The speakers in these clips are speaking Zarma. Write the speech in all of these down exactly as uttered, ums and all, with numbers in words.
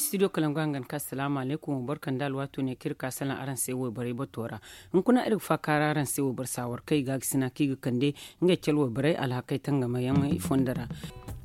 Studio kalangu hangan ka salaamu alaykum, wa barka nda alwaato ne kaŋ iri ka salaŋ araŋ se wayborey bato ra. Hunkuna iri ga faakaara araŋ se wayboro saawar kaŋ i ga a ga sina kaŋ i ga kande ngey cale wayborey alhakey tangamayaŋey fondo ra.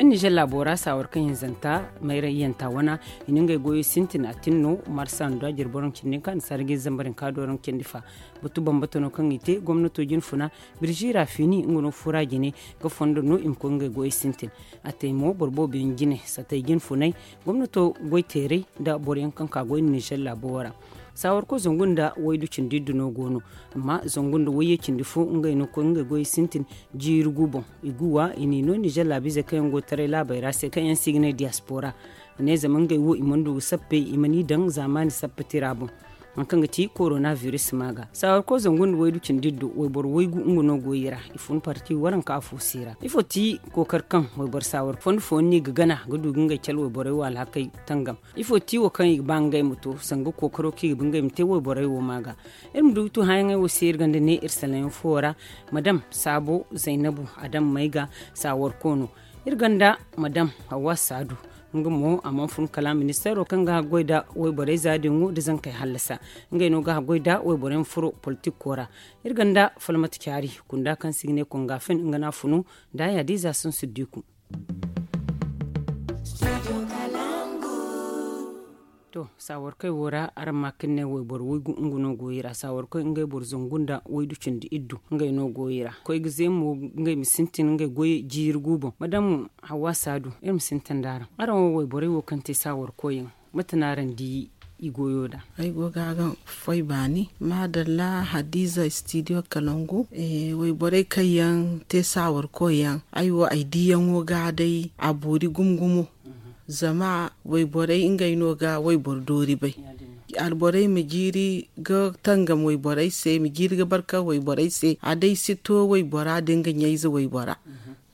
Iri nizer laabo ra saawar kaŋ hinzanta mayrayyanta wana, i na ngey goyey sintin a tin no marsa nda jiri boro nda cindi hinka nda sarji zambar hinka dooro nda cindi fa. Batu bambata no kaŋ i te gomnato jinfuna birzi ra fiini nga no fura jine ga fondo no i ma koy ngey goyey sintin. A te mo boro boobo yaŋ jine satay jinfunay gomnato goyteeray nda boro yaŋ kaŋ ka goy nizer laabo ra. Saawarko zangu nda waydu cindi iddu no go no, amma zangu nda wayye cindi fo ngey no koy ngey goyey sintin. Jiiri gu boŋ i gu wa i n'i no nizer laabiizey kaŋ yaŋ go taray laabey ra se kaŋ yaŋ se i ga ne diyaspora. I ne zama ngey wo i mana du ga sappey i mana i daŋ zaamaani sappatira boŋ. Hari kaŋ ga ti korona biris ma ga saawarko zangu nda waydu cindi iddu wayboro waygu nga no go i ra. I fun parti waranka afo se ra ifo ti kookari kaŋ wayboro saawar fondo fooyaŋ no i ga gana ga du ga ngey cale wayborey wo alhakey tangam? Ifo ti wo kaŋ i ga ba ngey ma to sanga kookaro kaŋ i ga ba ngey ma te wayborey wo ma ga? Iri ma du ga tu hããyaŋey wo se iri gonda ne iri salaŋ yaŋ fo ra. Madam saabo zaynabu adam mayga saawarko no. Iri gonda madam hawwa saadu. Nga mo a mana fun kala ministeero kaŋ ga haggoy nda wayborey za din wo nda zankey hallasa. Ngey no ga haggoy nda wayborey ma furo politikko ra. Iri gonda falmata caari kunda kaŋ se i ga ne kongafen nga no a funu nda a yaadiiza sansu diiku. To saawarkoy wo ra araŋ ma kaŋ ne wayboro waygu nga no go i ra saawarkoy ngey boro zangu nda waydu cindi iddu ngey no go i ra koy ga zeemo ngey ma sintin ngey goy jiiri gu boŋ madam hawwa saadu iri ma sintin nda araŋ araŋ wo wayborey wo kaŋ te saawarkoy yaŋ mate no araŋ di i goyo da? Ay go ga ga foy baani maadalla hadiza studio kalangu. Wayborey kaŋ yaŋ te saawarkoy yaŋ ay wo ay diyaŋo ga day a boori gumo gumo. Zama wayborey ngey no ga wayboro doori bay. Alborey ma jiiri ga tangam wayborey se ma jiiri ga barka wayborey se a day si to waybora da nga ɲayze waybora.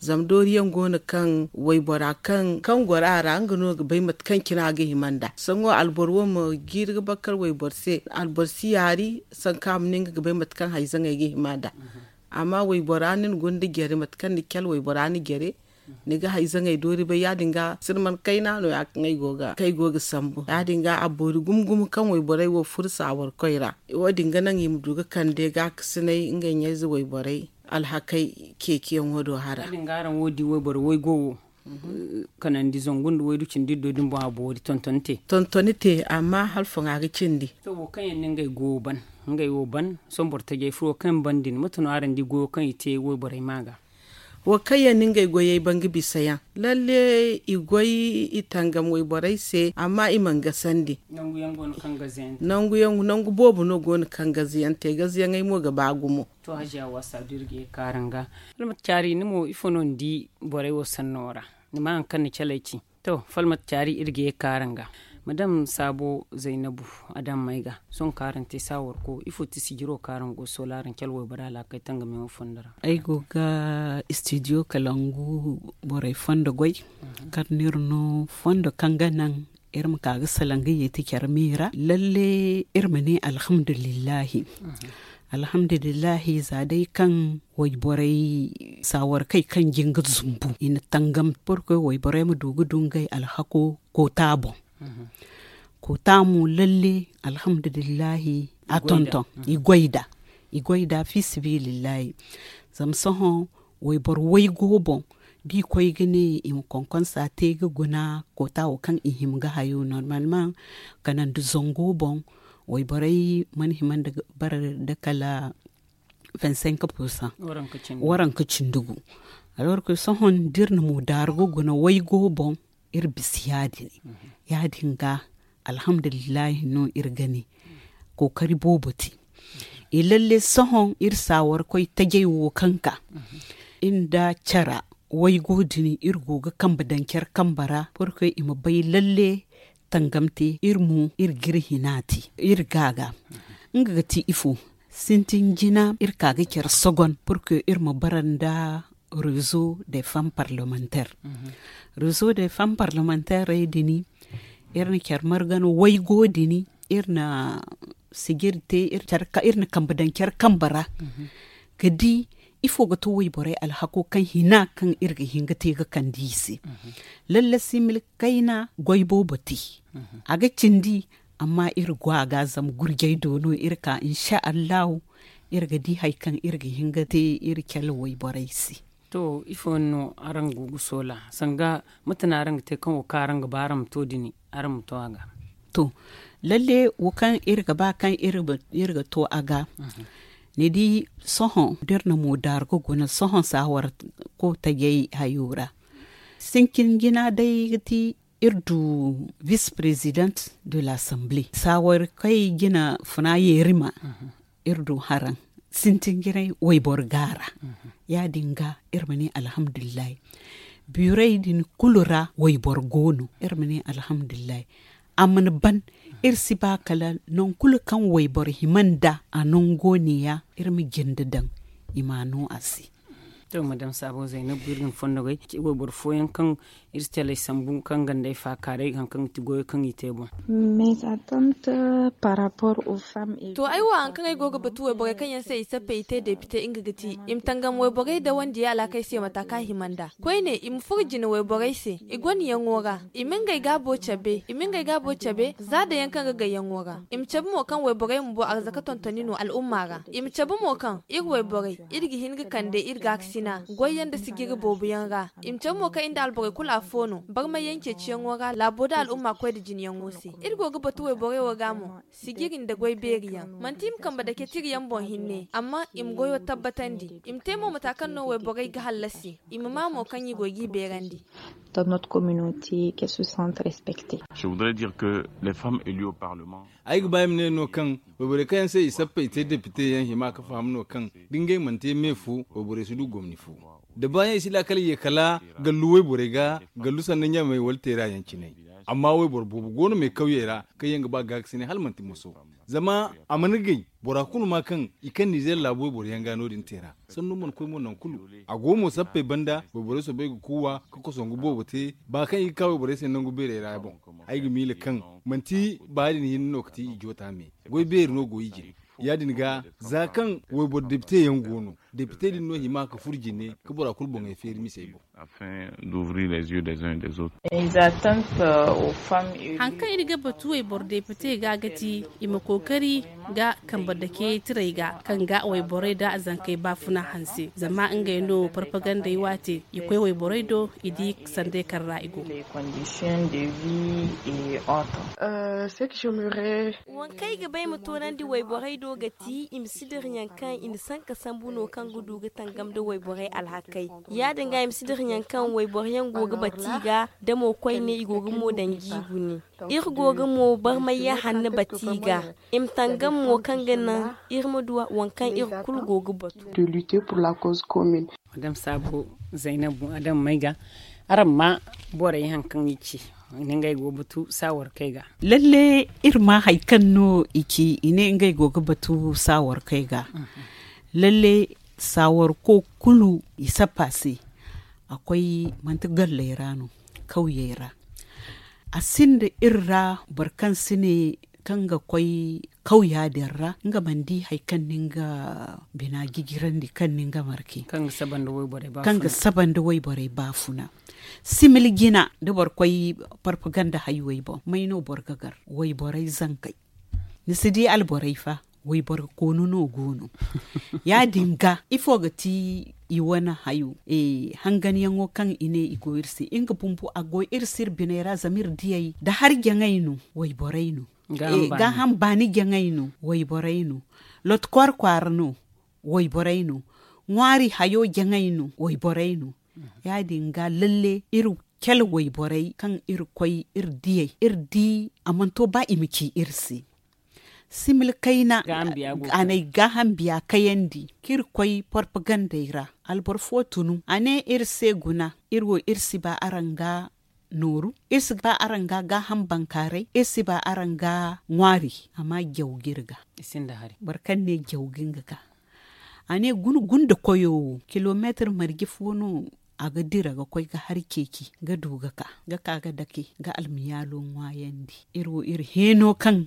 Zama dooriyaŋ go no kaŋ waybora kaŋ goro a ra nga no ga bay mate kaŋ cine a ga hima nd'a sohõ alboro wo ma jiiri ga bakar wayboro se alboro si yaari sanka a ma ne nga ga bay mate kaŋ hayzaŋey ga hima nd'a. Amma waybora ni na guna nda jare mate kaŋ ni cale waybora ni jare ni ga hayzaŋey doori bay ya- din ga sirman kayna no- ya kaŋ ay go ga sambu ya- din ga a boori gumo gumo kaŋ wayborey wo furo saawarkoy ra. Wo- din ga naŋ i ma du ga kande gaakasinay ngey ɲayze wayborey alhakey ceeciyaŋo do hara. Ya- din ga araŋ wo di wayboro waygo wo kanandi zangu nda waydu cindi iddo din boŋ a boori tontoni te. Tontoni te amma hala foŋ a ga cindi. To wo kaŋ yaŋ no ngey go ban ngey wo ban sohõ boro tajay furo kaŋ ban din mate no araŋ di goyo kaŋ i te wayborey ma ga? Wo kaŋ yaŋ no ngey goyey ban ga bisa yaŋ lalle i goy i tangam wayborey se amma i mana gasandi. Nangu boobo no go no kaŋ gaze yaŋ te gaze yaŋey mo ga ba gumo. To hajiya waasa da iri ga ye ga ka araŋ ga. Iri ma caari ni mo ifo no ni di borey wo sanno ra? Ni ma hari kaŋ ni caley ci. To falmata caari iri ga ye ga ka araŋ ga. Madam saabo zaynabu, adammey ga sohõ kaŋ araŋ te saawarko ifo ti sijiro kaŋ araŋ go sola araŋ cale waybora laakay tangamiyaŋo fondo ra? Ay go ga studio kalangu borey fondo goy, kaŋ no iri no fondo kaŋ ga naŋ iri ma ka ga salaŋ ga yeeti care me ra lalle iri ma ne alhamdulillahi. Alhamdulillahi za day kaŋ wayborey saawarkey kaŋ jin ga zumbu i na tangam borkoy wayborey ma du ga du ngey alhako koota boŋ. Koota mo lalle alhamdulillahi a tonton i goy nd'a. I goy nd'a fi sabilillahi. Zama sohõ wayboro waygo boŋ da i koy ga ne i ma konkonsa te ga guna koota wo kaŋ i hima ga hayo normalement kanandi zango boŋ wayborey mana hima nda bara nda kala vingt cinq pourcent waranka cindi gu. Alors que sohõ da iri na mo daaru ga guna waygo boŋ iri bisa ya- din ya- din ga alhamdulillahi no iri ga ne. Kookari boobo te i lalle sohõ iri saawarkoy tajay wo kaŋ ka iri nda care waygo din iri go ga kambe daŋ care kambe ra borkoy i ma bay lalle tangam te iri mo iri ga iri hina te iri ga ga nga ga ti ifo sintin jina iri ka ga care sogon borkoy iri ma bara nda rezo de femme parlementaire. Rezo de femme parlementaire din iri na care margan waygo din iri na sijiri te iri na kambe daŋ care kambe ra ga di Ifo ga to wayborey alhako kaŋ hina kaŋ iri ga hin ga te ga kande i se? Lalle simil kayna goy boobo te. A ga cindi, amma iri go a ga zama gurjey do no iri ka insa allahu. Iri ga di hari kaŋ iri ga hin ga te iri cale wayborey se. To ifo no araŋ go ga soola sanga mate no araŋ ga te kaŋ wo kaŋ araŋ ga ba araŋ ma to dini araŋ ma to a ga? To lalle wo kaŋ iri ga ba kaŋ iri ga to a ga. Ni di sohõ da iri na mo daaru ga guna sohõ saawar ko tajay hayo ra. Sintin jina day ga ti iri du vice président de l'assemblée saawar kay jina funa yeerima. Iri du haraŋ sintin jinay wayboro gaara. Ya- din ga iri ma ne alhamdulillahi. Biiray din kulu ra wayboro go no iri ma ne alhamdulillahi. A mana ban iri si ba kala nangu kulu kaŋ wayboro hima nd'a a nango ne- ya iri ma jinde daŋ i m'a no a se. To madame saabo zaynab iri ga ni fondo gay wayboro fooyaŋ kaŋ iri si calay sambu kaŋ ganda ay faakaaray hari kaŋ ga ti goyo kaŋ i te boŋ. To ay wo hari kaŋ ay go ga batu wayborey kaŋ yaŋ se i sappey i te depite nga ga ti i ma tangam wayborey da wandiyey alhakey se mata kaŋ a hima nd'a koyne i ma furo jine wayborey se. I gonda yaŋo ra i ma ngey gaabo cabe i ma ngey gaabo cabe za da yaŋ kaŋ ga gayyaŋo ra. I ma cabe mo kaŋ wayborey bumbo arzaka tontoni no al'umma ra. I ma cabe mo kaŋ iri wayborey iri ga hin ga kande iri gaakasina goyyaŋ nda sijiri boobo yaŋ ra. I ma cabe mo kaŋ iri nda alborey kulu afo no barmayyaŋ ceeciyaŋo ra laabo nda al'umma koy nda jineyaŋo se. Iri go ga batu wayborey wo ga mo sijiri nda goy beeri yaŋ manti i ma kambe dake tira yaŋ boŋ hinne amma i ma goyo tabbatandi. I ma te mo mata kaŋ no wayborey ga hallasi i ma ma mo kaŋ i go g'i beerandi. Ay ga ba ay ma ne no kaŋ wayborey kaŋ yaŋ se i sappey te depite yaŋ hima ga faham no kaŋ da ngey mana te me fo wayborey si du gomni fo. Da baayaŋ i si laakal ye kala gallu wayborey ga gallu sanda ɲamey wala teera yaŋ cine. Amma wayboro boobo go no me kawyey ra kaŋ yaŋ ga ba gaakasinay hala manti moso. Zama a mana gay bora kulu ma kaŋ i kaŋ nizeer laabu wayboro yaŋ ga no- din teera sannu mana koy mo nangu kulu. A go mo sappey banda wayborey soobay ga kuuwa ka kosongu boobo te ba kaŋ i ga ka wayborey se nangu beerey ra boŋ. Ay ga miila kaŋ manti ba ya- din hinne no ga ti i joota me goy beeri no go i jine. Ya- din ga za kaŋ wayboro depite yaŋ go no depite din no hima ka furo jine ka bora kulu boŋey feeri misey boŋ. Hari kaŋ iri ga batu wayboro depite ga ga ti i ma kookari ga kambe dake tiray ga kaŋ ga wayborey nda zankey baafuna hanse zama ngey no parpagandey waate i koy wayborey do i di sandey kaŋ ra i go. Waŋ kaŋ ay ga ba ay ma toonandi wayborey do ga ti i ma si dirayaŋ kaŋ i na sanka sambu no kaŋ ga du ga tangam nda wayborey alhakey. Ya- din ga i ma si dirayaŋ kaŋ wayboro yaŋ go ga bati i ga da mo koyne i go ga mo daŋ jiigu ne. Iri go ga mo barmay yaŋ hanno bati i ga i ma tangam mo kaŋ ga naŋ iri ma du waŋ kaŋ iri kulu go ga batu. Madame sabo, zainabu adama may ga araŋ ma borey haŋ kaŋ i ci i ne ngey go ga batu saawarkey ga. Lalle iri ma hari kaŋ no i ci i ne ngey go ga batu saawarkey ga. Lalle saawarko kulu i sappa se. A koy manti galley ra no kawyey ra. A sinda iri ra boro kaŋ si ne kaŋ ga koy kawya din ra nga mana di hari kaŋ ni nga bina jijirandi kaŋ ni nga marke kaŋ ga saba nda wayborey baafuna. Simili jina da boro koy parpaganda haywey boŋ may no boro ga gar wayborey zankey. Ni si di alborey fa wayboro koonu no go no. Ya- din ga ifo ga ti i wane hayo hanganyaŋo kaŋ i ne i go iri se nga bumbo a go iri se iri biney ra zama iri diyey da hari jaŋey no wayborey no. Gaaham baani jaŋey no wayborey no. Lotkor kwaara no wayborey no. Ŋwaari hayo jaŋey no wayborey no. Ya- din ga lalle iri cale wayborey kaŋ iri koy iri diyey iri di a mana to ba i ma ci iri se. Simil kayna a n'ay gaaham biya kayandi kaŋ iri koy porpagandey ra. Alboro fo tunu a ne iri se guna iri wo iri si ba araŋ ga nooru iri si ba araŋ ga gaaham bankaaray iri si ba araŋ ga ŋwaari. Amma jaw ga iri ga boro kaŋ ne jaw ga nga ga a ne guna gunda koyo wo kilomeetir marje fo no a ga dira ga koy ga hari ceeci ga du ga ka ga ka ga dake ga almiyaalo ŋwaayandi. Iri wo iri heeno kaŋ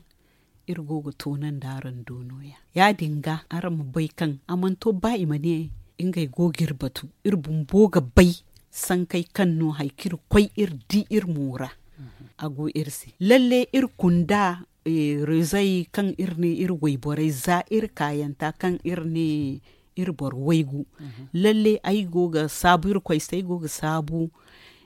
iri go ga toonandi araŋ do nooya. Ya- din ga araŋ ma bay kaŋ a mana to ba i ma ne Ngey go ga iri batu, iri bumbo ga bay sankey kaŋ no hari kaŋ iri koy iri di iri mo ra. A go iri se lalle iri kunda reezey kaŋ iri ne iri wayborey za iri kaayanta kaŋ iri ne iri boro waygu. Lalle ay go ga saabu iri koy se ay go ga saabu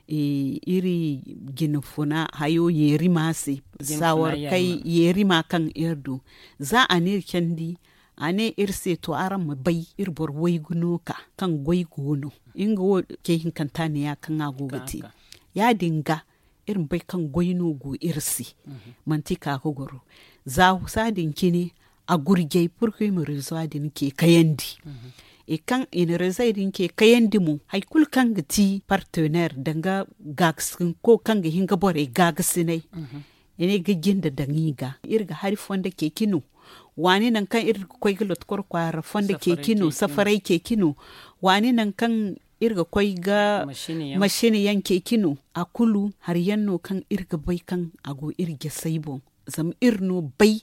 iri jina funa hayo yeerima se. Saawarkey yeerima kaŋ iri du za a ne iri candi a ne iri se to araŋ ma bay iri boro waygu no ka kaŋ goy go no. Nga wo ce hinkanta ne ya kaŋ a go ga te ya- din ga iri ma bay kaŋ goy no go iri se. Manti ka ga goro za sa din cine a gurjay purkuy ma rezo din ce kayandi. Kaŋ i na rezey din ce kayandi mo hari kulu kaŋ ga ti partener danga gaagasinko kaŋ ga hin ga borey gaagasinay. I ne ga jinde daŋ i ga iri ga hari fondo ceeci no. Waani nangu kaŋ iri ga koy ga lotkor kwaara fondo ceeci no safaray ceeci no. Waani nangu kaŋ iri ga koy ga mashin yaŋ ceeci no. A kulu hari yaŋ no kaŋ iri ga bay kaŋ a go iri jasey boŋ. Zama iri no bay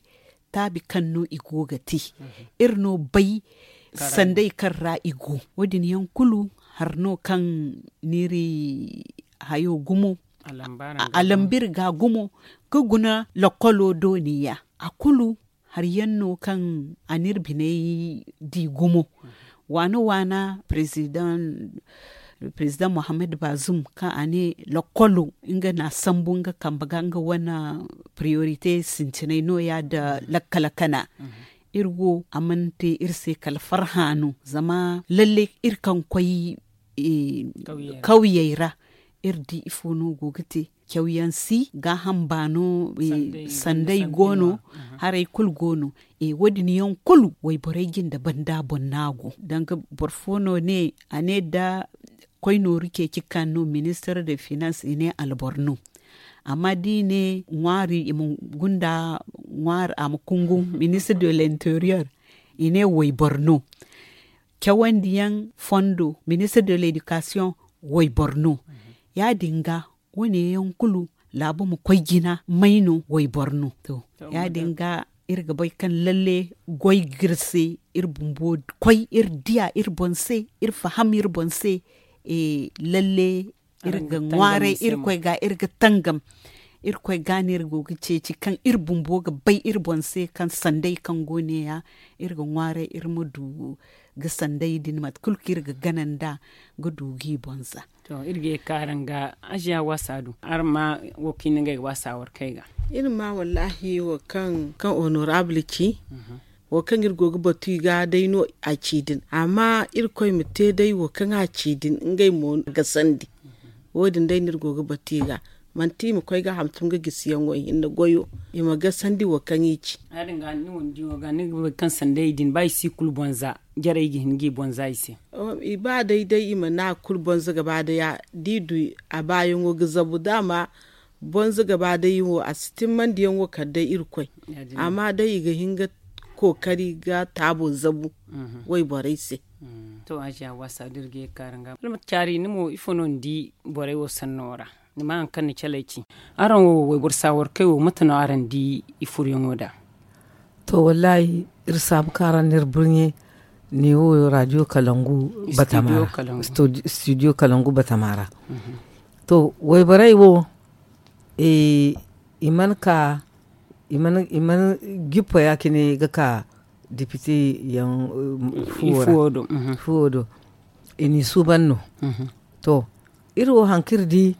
taabi kaŋ no i go ga te. Iri no bay sanday kaŋ ra i go wo- din yaŋ kulu hari no kaŋ n'iri hayo gumo. A lamba iri ga gumo ga guna lokolo dooniya a kulu hari yaŋ no kaŋ a n'iri biney di gumo. Waana waana president muhammad bazum kaŋ a ne lokolo nga n'a sambu nga kambe ga nga wane priorite sintinay no- ya nda lakkal kana. Iri wo a mana te iri se kala farhã no zama lalle iri kaŋ koy kawyey ra iri di ifo no go ga te. Cawyaŋ si gaaham baano sanday go no. Haray kulu go no. Wo- din yaŋ kulu wayborey jinde banda boŋ no a go danga boro fo no ne a ne da koy nooru ceeci kaŋ no ministar de finance i ne albor no. Amma da i ne ŋwaari i ma gunda ŋwaari a ma kungu ministar de l'interior i ne waybor no. Cawandi yaŋ fondo ministar de l'éducation waybor no. Ya- din ga wo- ne yaŋ kulu laabu ma koy jina may no waybor no. To ya- din ga iri ga bay kaŋ lalle goy ga iri se iri bumbo koy iri diya iri boŋ se iri faham iri boŋ se. Lalle iri ga ŋwaaray iri koy ga iri ga tangam. Iri koy ga no iri go ga ceeci kaŋ iri bumbo ga bay iri boŋ se kaŋ sanday kaŋ go ne- ya iri ga ŋwaaray iri ma du ga sanday din mate kulu kaŋ iri ga gana nd'a ga du ga i boŋ za. To iri ga ye kaara nga aziya waasa du araŋ ma wo kaŋ i na ngey waasa warkey ga. Iri ma wallaahi wo kaŋ honorable ci wo kaŋ iri go ga batu i ga day no a ci din amma irkoy ma te day wo kaŋ a ci din ngey mo ga sandi. Wo- din day no iri go ga batu i ga manti i ma koy ga hantum ga gisi yaŋo i hinne goyo i ma ga sandi wo kaŋ i ci. Ya- din ga ni wo ni di wo ga ni ga bay kaŋ sanday din ba i si kulu boŋ za jarey ga hin ga i boŋ za i se. I ba day day i ma ne a kulu boŋ za gaba day ya da i du a baayaŋo ga zabu daama boŋ za gaba day i wo a si timmandi yaŋo kala day irkoy. Amma day i ga hin ga kookari ga taabo zabu wayborey se. To aziya waasa da iri ga ye kaara nga iri ma caari ni mo ifo no ni di borey wo sanno ra? Ni ma hari kaŋ ni caley ci araŋ wo wayboro saawarkey wo mate no araŋ di i furyaŋo nd'a? To wallaahi iri saabu kaŋ araŋ na iri burɲe ne wo radio kalangu batama ra. Studio kalangu batama ra. To wayborey wo i mana ka i mana gippa ya cine ga ka depite yaŋ fuwo do i n'i suuban no. To iri wo hari kaŋ iri di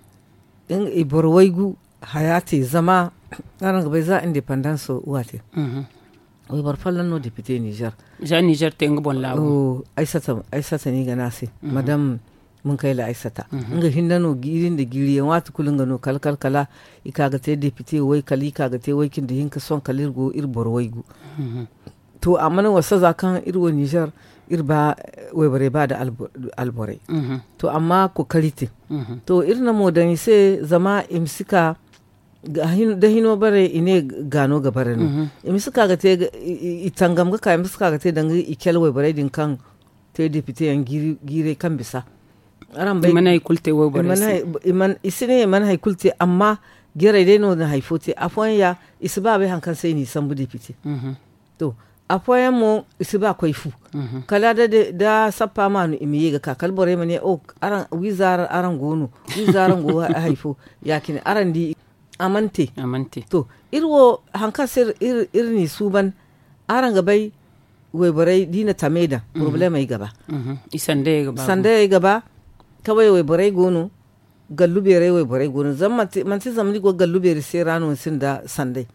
i boro waygu haya te zama araŋ ga bay za independance waate wayboro folloŋ no depite nizer. Za nizer te nga boŋ laabu. Aysata no i ga ne a se madam munkayla aysata nga hinne no jiiri nda jiiri yaŋ waati kulu nga no kala kala kala i ka ga te depite way kala i ka ga te way cindi hinka sohõ kala iri go iri boro waygu. To a mana wasa za kaŋ iri wo nizer iri ba wayborey ba nda alborey. To amma kookari te to iri na mo daŋ i se zama i ma si ka da hino bare i ne ga no ga bare no i ma si ka ga te i tangam ga ka i ma si ka ga te danga i cale wayborey din kaŋ te depite yaŋ jiiray kaŋ bisa. Araŋ bay i si ne i mana hari kulu te amma jarey day no na hari fo te afooyaŋ ya i si ba bay hari kaŋ se i n'i sambu depite. To Afooyaŋ mo i si ba koy fu. Kala da sappa maanu i ma ye ga ka kala borey ma ne, wiiza araŋ go no, wiiza araŋ go. Hari fo ya- cine araŋ di. A mana te. To, iri wo hari kaŋ se iri n'i suuban, araŋ ga bay, wayborey da i na tamey daŋ, porobulemey ga ba. Sandayey ga ba. Kaway wayborey go no. Gallu beeray wayborey go no zama manti zama ni go gallu beeri se ra no ni sinda sanday.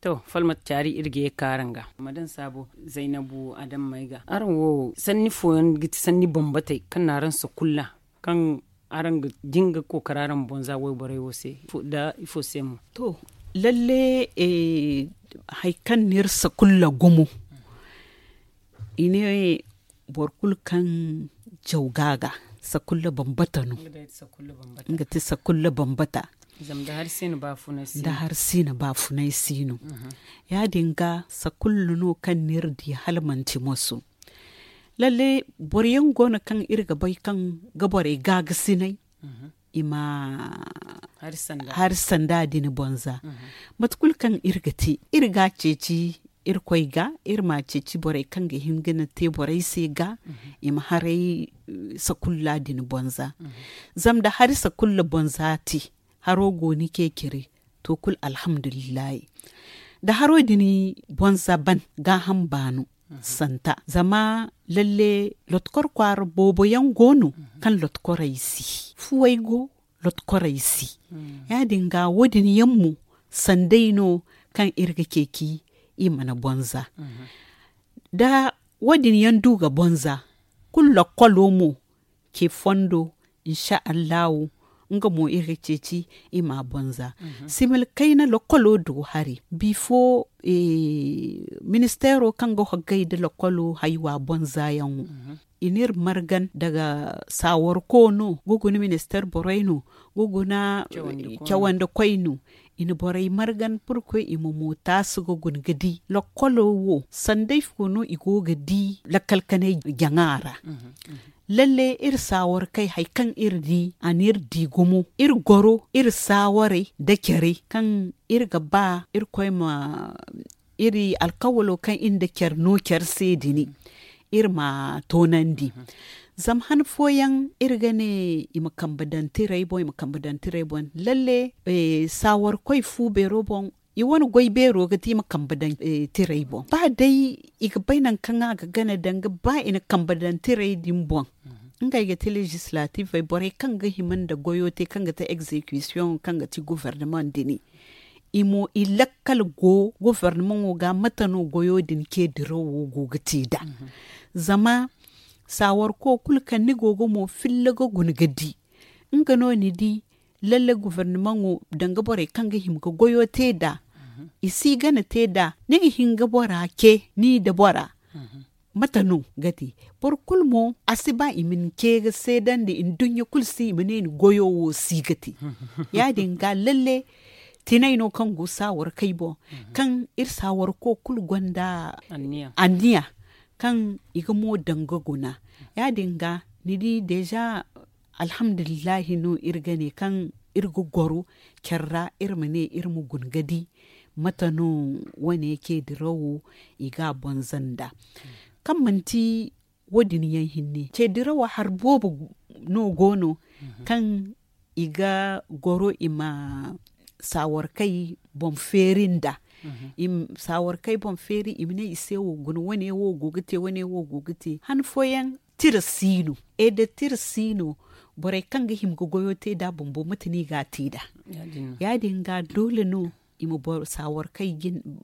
To, falmata caari iri ga ye ga ka araŋ ga. Ma daŋ saabo, zaynabu adammey ga araŋ wo sanni fooyaŋ ga ti sanni bambatey kaŋ na araŋ sakulla, kaŋ araŋ ga jinga kookara araŋ ma bonza wayborey wo se. Da ifo se mo? To, lalle, hari kaŋ n'iri sakulla gumo, i ne boro kulu kaŋ jaw ga a ga, sakulla bambata no. Nga ti sakulla bambata. Zama da hari si na baafunay si no. Ya- din ga sakulla no kaŋ n'iri di hala manti moso. Lalle, boro yaŋ go no kaŋ iri ga bay kaŋ ga borey gaagasinay, i ma hari sanda din bonza. Mate kulu kaŋ iri ga te, iri ga a ceeci irkoy ga, iri ma a ceeci borey kaŋ ga hin ga na te borey se ga, i ma haray sakulla din bonza. Zama da hari sakulla bonza te, haro go ni ceeciri, to kulu alhamdulillahi. Da haro din bonza ban, gaaham baanu santa zama lalle lotkor kwaara boobo yaŋ go no kaŋ lotkorey si fuwey go, lotkorey si. Ya- din ga wo- din yaŋ mo sanday no kaŋ iri ga ceeci i mana bonza. Da wo- din yaŋ du ga bonza, kulu lokkolo mo ce fondo, insa allahu, nga mo iri ga ceeci i ma bonza. Simil kayna lokkolo do hari bifo, ministeero kaŋ ga hoggay nda lokkolo haywa bonza yaŋo, i n'iri margan daga saawarko no, ga guna ministeer borey no, ga guna cawandi koy no. I na borey margan purkoy i ma mootaasi ga guna ga di lokkolo wo sanday fo no i go ga di lakkal kanay jaŋa ra. Lalle iri saawarkey hari kaŋ iri di a n'iri di gumo, iri goro iri saawarey nda care kaŋ iri ga ba irkoy ma iri alkawalo kaŋ iri nda care no care se dini, iri ma toonandi. Zama han fooyaŋ iri ga ne i ma kambe daŋ tirey boŋ i ma kambe daŋ tirey boŋ. Lalle, saawarkoy fu beero boŋ, i wane goy beero ga ti i ma kambe daŋ tirey boŋ ba day i ga bay nangu kaŋ a ga gana danga ba i na kambe daŋ tirey din boŋ. Ngey ga ti legislatifey borey kaŋ ga hima nda goyo te kaŋ ga ti egzekisiyoŋo kaŋ ga ti gofornamaŋ dini, i mo i lakkal go gofornamaŋo ga mate no goyo din ce dirawo go ga te nd'a. Zama saawarko kulu kaŋ ni go ga mo filla ga guna ga di, nga no ni di lalle gofornamaŋo danga borey kaŋ ga hima ga goyo te nd'a, i si gana te nd'a ni ga hin ga bora ce ni nda bora. Mate no ga te? Boro kulu mo a si ba i ma ni ce ga seedandi nduɲɲa kulu se i ma ne ni goyo wo si ga te. Ya- din ga lalle tinay no kaŋ go saawarkey boŋ, kaŋ iri saawarko kulu gonda anniya kaŋ i ga mo daŋ ga guna. Ya- din ga ni di deeza, alhamdulillahi no iri ga ne kaŋ iri ga goro care ra iri ma ne iri ma guna ga di mate no wane ce dirawo i ga a bonza nd'a. Kaŋ manti wo- din yaŋ hinne ce dirawo hari boobo no go no kaŋ i ga goro i ma saawarkey boŋ feeri nd'a. Saawarkey boŋ feeri i ma ne i se wo guna wane wo go ga te wane wo go ga te han fooyaŋ tira si no. E da tira si no, borey kaŋ ga hima ga goyo te nd'a bumbo mate no i ga a te nd'a? Ya- din ga doole no i ma boro saawarkey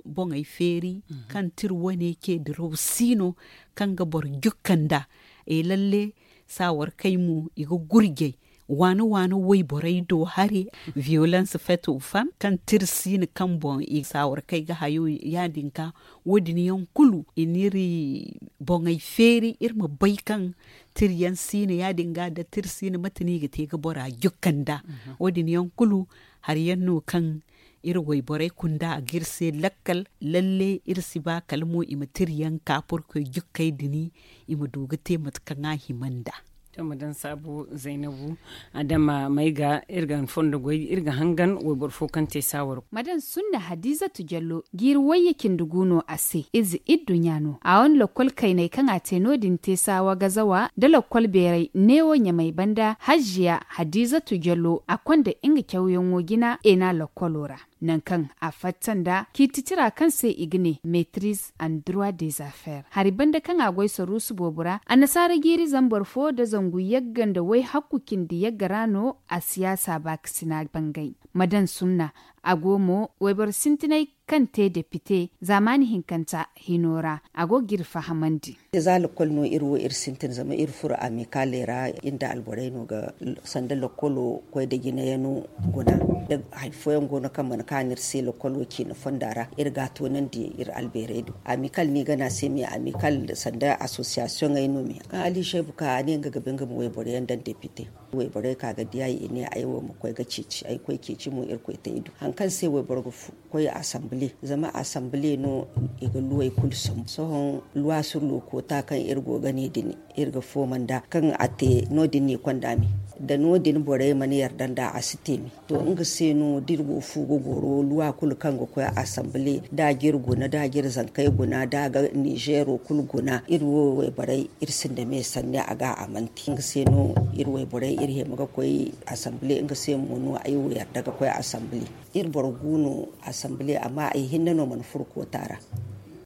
boŋey feeri kaŋ tira wane ce diraw si no kaŋ ga boro jukka nd'a. E lalle, saawarkey mo i ga gurjay waani waani wayborey do hari, violence faite aux femmes kaŋ tira si no kaŋ boŋ i saawarkey ga hayo. Ya- din ga wo- din yaŋ kulu i n'iri boŋey feeri iri ma bay kaŋ tira yaŋ si no ya- din ga da tira si no mate no i ga te ga bora jukka nd'a. Wo- din yaŋ kulu hari yaŋ no kaŋ iri wayborey kunda a ga iri se lakkal. Lalle iri si ba kala mo i ma tira yaŋ ka purkoy jukkey dini i ma du ga te mate kaŋ a hima nd'a. To ma daŋ saabu, zaynabu, adama may ga iri ga fondo goy, iri ga hangan wayboro fo kaŋ te saawaro. Ma daŋ sunna hadiizatu jallo jiiri wayye cindi gu no a se, ize idduɲɲa no a wane lakkol kaynay kaŋ a te no- din te saawa gazawa nda lakkol beeray neewo ɲamay banda hajjiya hadiizatu jallo a konda nga cawyaŋo jina eena lakkolo ra. Nangu kaŋ a fatta nda ciiti tira kaŋ se i ga ne metriz an durwa dezafeer hari banda kaŋ a goy saruusu boobo ra annasaara jiiri zambar fo nda zangu yagga nda wayhakku cindi yagga ra no a siyaasa baakasina bangay. Ma daŋ sunna a go mo wayboro sintinay kaŋ te depite zaamaani hinkanta hino ra a go ga iri fahamandi. Za lakkol no iri wo iri sintin zama iri furo amikaaley ra iri nda alborey no ga sanda lakkolo koy da jinayano guna da hari fooyaŋ go no kaŋ mana kaanu iri se lakkolo ciina fonda ra iri ga a toonandi iri albeerey do amikal no i ga ne a se me amikal sanda asosiyasiyoŋey no me kaŋ ali seebu ka a ne nga ga ba nga ma wayboro yaŋ daŋ depite. Wayborey ka ga di ay i ne ay wo ma koy ga ceeci ay koy ceeci mo iri koy te i do hari kaŋ se wayboro ga koy asambile zama asambile no i ga luwey kulu sambu sohõ luwa sur lokoota kaŋ iri go ga ne din iri ga fooma nd'a kaŋ a te no- din no i konda me da no- din borey mana yarda nd'a a si te me. To nga se no da iri go fu ga goro luwa kulu kaŋ ga koy asambile da jiri guna da jiri zankey guna da ga nizeero kulu guna iri wo wayborey iri sinda me sanni a ga a mana te nga se no iri wayborey iri hima ga koy asambile nga se mo no ay wo yarda ga koy asambile. Iri boro gu no asambile amma ay hinne no mana furo koota ra.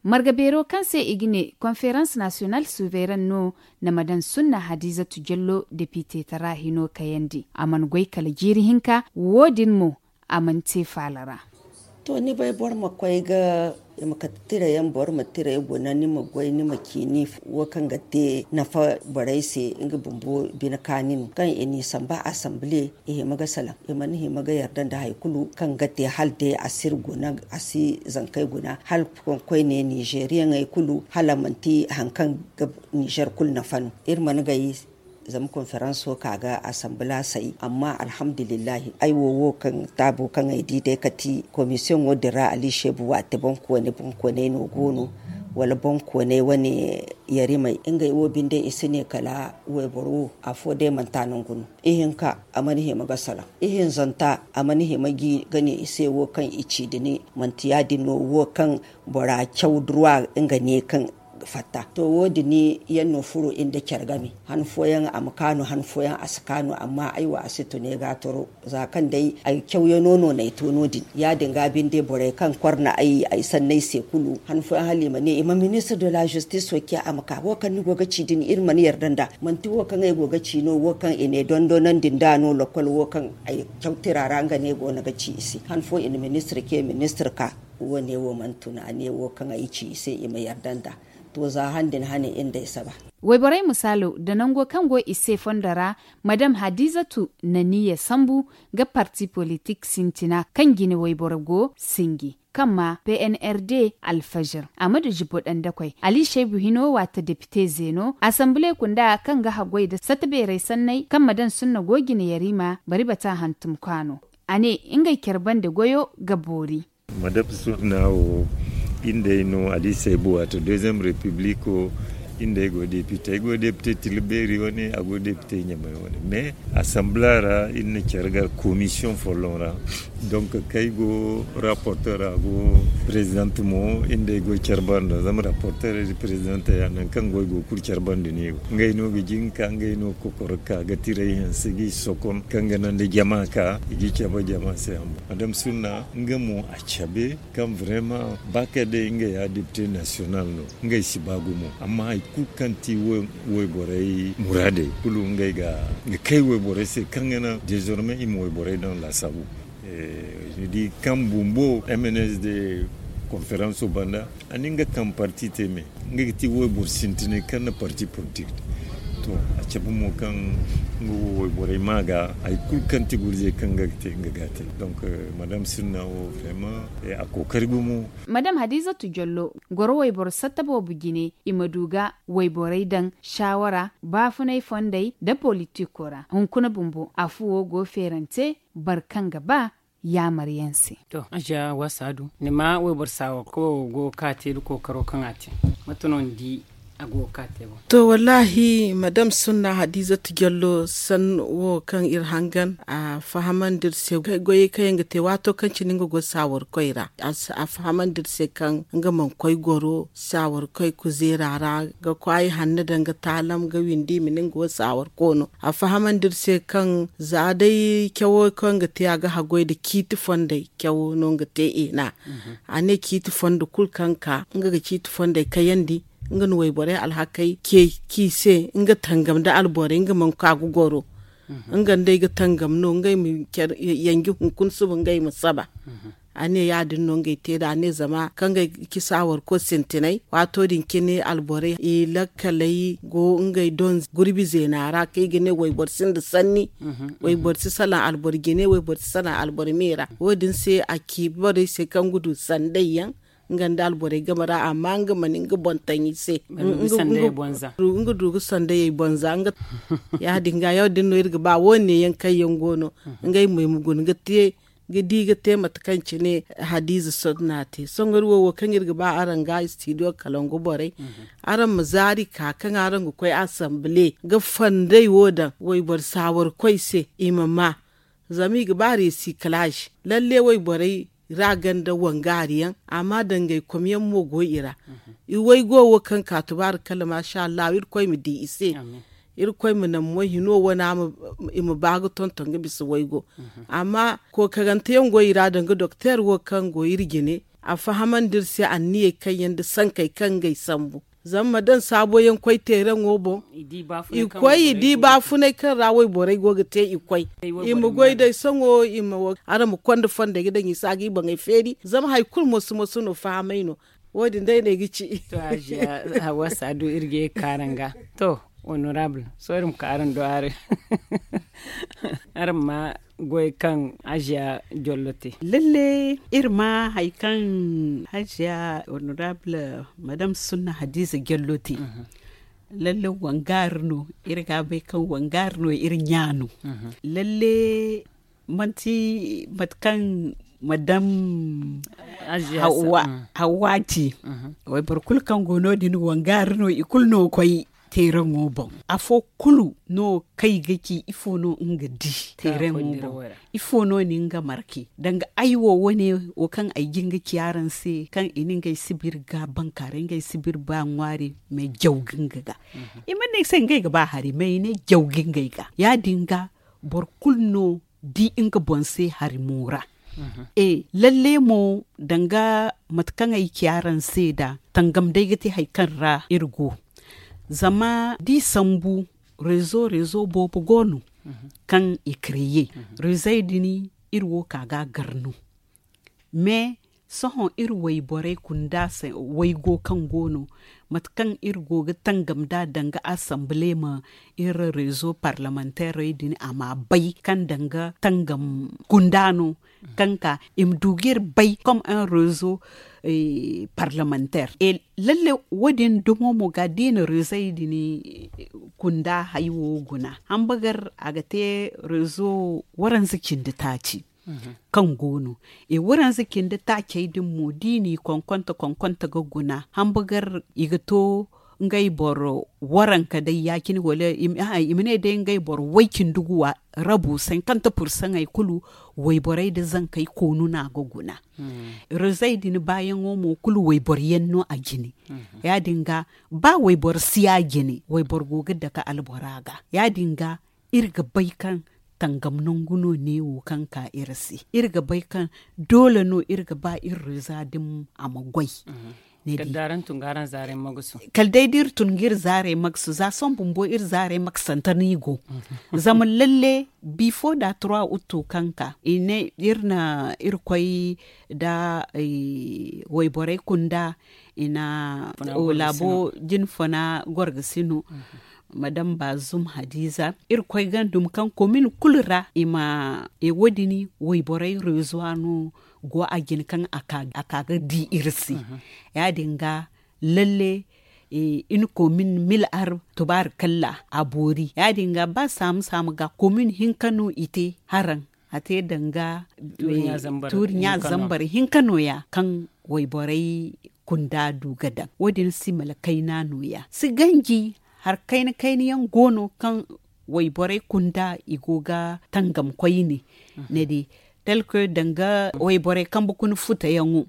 Marga beero kaŋ se i ga ne konferans nasiyonal suveeran no na ma daŋ sunna hadiizatu jallo depite tara hino kayandi a mana goy kala jiiri hinka wo- din mo a mana te faala ra. To ni bay boro ma koy ga i ma kate tirayaŋ boro ma tiray guna ni ma goy ni ma ciini wo kaŋ ga te nafa borey se nga bumbo bine kaani no kaŋ i n'i samba asambile i hima ga salaŋ i mana hima ga yarda nda hari kulu kaŋ ga te hala day a si iri guna a si zankey guna hala koyne nizeeriyaŋey kulu hala manti hari kaŋ ga nizeer kulu nafa no iri mana gay. Zama konferanso ka ga asambila say amma alhamdulillahi ay wo wo kaŋ taabo kaŋ ay di day kati komisiyoŋo din ra ali seebu waate boŋkooney boŋkooney no go no wala boŋkooney wane yarimey ngey wo binde i si ne kala wayboro wo afo day manti a nangu no ihinka a mana hima ga salaŋ ihinzanta a mana hima ga ne i se wo kaŋ i ci da ni manti ya- din no wo kaŋ bora caw durwa nga ne kaŋ fatta to wo- din yaŋ no furo nda care game han fooyaŋ a ma kaanu han fooyaŋ a si kaanu amma ay wo a si tun ay ga a toro za kaŋ day ay cawyano no no ay to no- din ya- din ga binde borey kaŋ korna ay ay sanney se kulu han fooyaŋ hala i ma ne i ma ministre de la justice wo ciya a ma ka wo kaŋ ni go ga ci din iri mana yarda nda manti wo kaŋ ay go ga ci no wo kaŋ i ne dondonandi nda no lokol wo kaŋ ay caw tira ra nga ne go no ga ci i se han fo i na ministre ce ministre ka wo- ne wo mana tun a ne wo kaŋ ay ci i se i ma yarda nda to za han din hane iri nda ay saba. Wayborey misaalo nda nango kaŋ go i se fondo ra madam hadizatu na niya sambu ga parti politik sintina kaŋ jine wayboro go sinji kaŋ ma pnrd alfajir a ma du jibo dandakoy ali shaybu hino waata depite zeeno asambile kunda kaŋ ga haggoy nda satta beeray sanney kaŋ ma daŋ sunna go jine yarima bari bata hantum kaano a ne ngey care bande goyo ga boori. Madam sunna wo iri nd'ey no alisa ay bu wato deuxième république o iri nd'ey go député ay go député tila beeri wane a go député ɲamay wane mais assemblée ra iri na care gar commission folloŋ ra donc kaŋ ay go rapporteur a go présidente mo iri nd'ey go care banda zama rapporteur iri présidente ya nangu kaŋ go ay go kulu care banda no i go ngey no ga jin ka ngey no ga kokoro ka ga tiray hanse g'i sokon kaŋ ga naŋ da jama ka i g'i cabe jama se a mo madam sunna nga mo a cabe kaŋ vraiment ba kay day nga ya député national no ngey si ba gumo amma hari kulu kaŋ ti wayborey muraadey kulu ngey ga kay wayborey se kaŋ ga naŋ désormais i ma wayborey daŋ laasaabu ni di kaŋ bumbo mnsd conférenco banda a na nga kaŋ parti te me nga ga ti wayboro sintinay kaŋ na parti politik te to a cabe mo kaŋ nga wo wayborey ma ga hari kulu kaŋ ti gurzey kaŋ nga ga te nga ga a te donc madam sinna wo vraiment a kookari gumo. Madam hadizatu jollo goro wayboro satta boobo jine i ma du ga wayborey daŋ saawara baafunay fondey nda politiko ra hunkuna bumbo afuwo go feerante boro kaŋ ga ba yaamaryaŋ se. To aja waasa du ni ma wayboro saawa kawo go ga ka te nda kookaro kaŋ a te mate no ni di? A go ga ka te boŋ. To, wallaahi, madam sunna hadiizatu jallo sanni wo kaŋ iri hangan a fahamandi iri se goyey kaŋ yaŋ ga te waato kaŋ cine nga go saawarkoy ra. A fahamandi iri se kaŋ nga mana koy goro saawarkoy kuzeera ra ga kwaayi hanno daŋ ga taalam ga windi i ma ne nga wo saawarko no. A fahamandi iri se kaŋ za day cawo kaŋ ga te a ga haggoy nda ciiti fondey cawo no nga te eena. A ne ciiti fondo kulu kaŋ ka nga ga ciiti fondey kayandi, nga na wayborey alhakey ce k'i se nga tangam nda alborey nga mana ka ga goro. Nga nda ay ga tangam no ngey ma care yanji hunkuna suba ngey ma saba. A ne ya- din no ngey te nd'a a ne zama kaŋ ngey ga ci saawarko sintinay waato din cine alborey i lakkaley go ngey doŋ gurbi zeena ra kaŋ i ga ne wayboro sinda sanni. Wayboro si salaŋ alboro jine wayboro si salaŋ alboro me ra wo- din se a ci borey se kaŋ ga du sanday yaŋ nga nda alborey game ra amma nga mana nga boŋ taŋ i se. Nga du ga sandayey bonza. Ya- din ga ya- din no iri ga ba wo- ne yaŋ kaŋ yaŋ go no ngey mo i ma guna ga te ga di ga te mate kaŋ cine hadiiza sonda no a te sohõ iri wo wo kaŋ iri ga ba araŋ ga studio kalangu borey. Araŋ ma zaari ka kaŋ araŋ ga koy asambile ga fandey wo daŋ wayboro saawarkoy se i ma ma. Zama i ga ba recyclage lalle wayborey ra ganda wangaari yaŋ amma dangay kom yaŋ mo go i ra. I waygo wo kaŋ ka tubaari kala maasa allahu irkoy ma di i se. Irkoy ma naŋ mo hino wane i ma ba ga tonton ga bisa waygo. Amma kookarante yaŋ go i ra danga doktor wo kaŋ go iri jine a fahamandi iri se anniyey kaŋ yaŋ nda sankey kaŋ ngey sambu zama ma daŋ saabo yaŋ koy teeraŋo boŋ. I koy i di baafunay kaŋ ra wayborey go ga te i koy i ma goy day sohõ i ma wo araŋ ma konda fondey ga daŋ i se a ga i boŋey feeri zama hari kulu moso moso no fahamay no. Wo- din day no ay ga ci. To hajiya hawa saadu iri ga ye ga ka araŋ ga. To, honorable sohõ iri ma ka araŋ do araŋ ma goy kaŋ hajiya jollo te. Lalle iri ma hari kaŋ hajiya honorable madam sunna hadiza jollo te. Lalle wangaari no iri ga bay kaŋ wangaari no iri ɲa no. Lalle manti mate kaŋ madam hawwa ci. Wayboro kulu kaŋ go no- din wangaari no i kulu no koy teeraŋo boŋ. Afo kulu no kaŋ i ga ci ifo no nga di teeraŋo boŋ? Ifo no ni nga marke danga ay wo wane wo kaŋ ay ga nga ci araŋ se kaŋ i na ngey sibir ga bankaaray ngey sibir ba ŋwaari mais jaw ga nga ga. I mana ne ay se ngey ga ba hari mais i ne jaw ga ngey ga ya- din ga boro kulu no di nga boŋ se hari mo ra. E lalle mo danga mate kaŋ ay ci araŋ se da tangam day ga te hari kaŋ ra iri go. Zama da i sambu rezo rezo boobo go no kaŋ i kreye. Rezey din iri wo ka ga a gar no mais sohõ iri wayborey kunda waygo kaŋ go no mate kaŋ iri go ga tangam nd'a danga asambile ma iri rezo parlementerey din a ma bay kaŋ danga tangam kunda no kaŋ ka i ma du ga iri bay comme un rezo parlementaire. Lalle wo- din dumo mo ga da i na rezey din kunda hay wo guna hambagar a ga te rezo waranza cindi taaci kaŋ go no. E waranza cindi taacey din mo da i n'i konkonte konkonte ga guna hambagar i ga to ngey boro waranka day ya- cine wala i ma ne day ngey boro way cindi guwa rabu sankante pursaŋey kulu wayborey nda zankey koonu no a ga guna. Rezey din baayaŋo mo kulu wayboro yaŋ no a jine. Ya- din ga ba wayboro si a jine wayboro go ga dake albora ga ya- din ga iri ga bay kaŋ tangam nangu no neewo kaŋ ka iri se iri ga bay kaŋ doole no iri ga ba iri reza din a ma goy. Kala day da iri tun ga iri zaarey magasu za sohõ bumbo iri zaarey magasante no i go. Zama lalle bifo da trois août kaŋ ka i ne iri na iri koy nda wayborey kunda i na laabo jinfuna gorgasino madam bazum hadiza iri koy ga dumi kaŋ komin kulu ra i ma e wo- din wayborey rezo no go a jine kaŋ a ka ga di iri se. Ya- din ga lalle iri komin mil ar tubaari kalla a boori ya- din ga ba saamu saamu ga komin hinka no i te haraŋ a te danga tuuri ɲa zambar hinka no- ya kaŋ wayborey kunda du ga daŋ. Wo- din si mala kayna nooya si ganji. Hari kayna kayna yaŋ go no kaŋ wayborey kunda i go ga tangam koyne. Ni di, tel que danga wayborey kambe kuna futa yaŋo,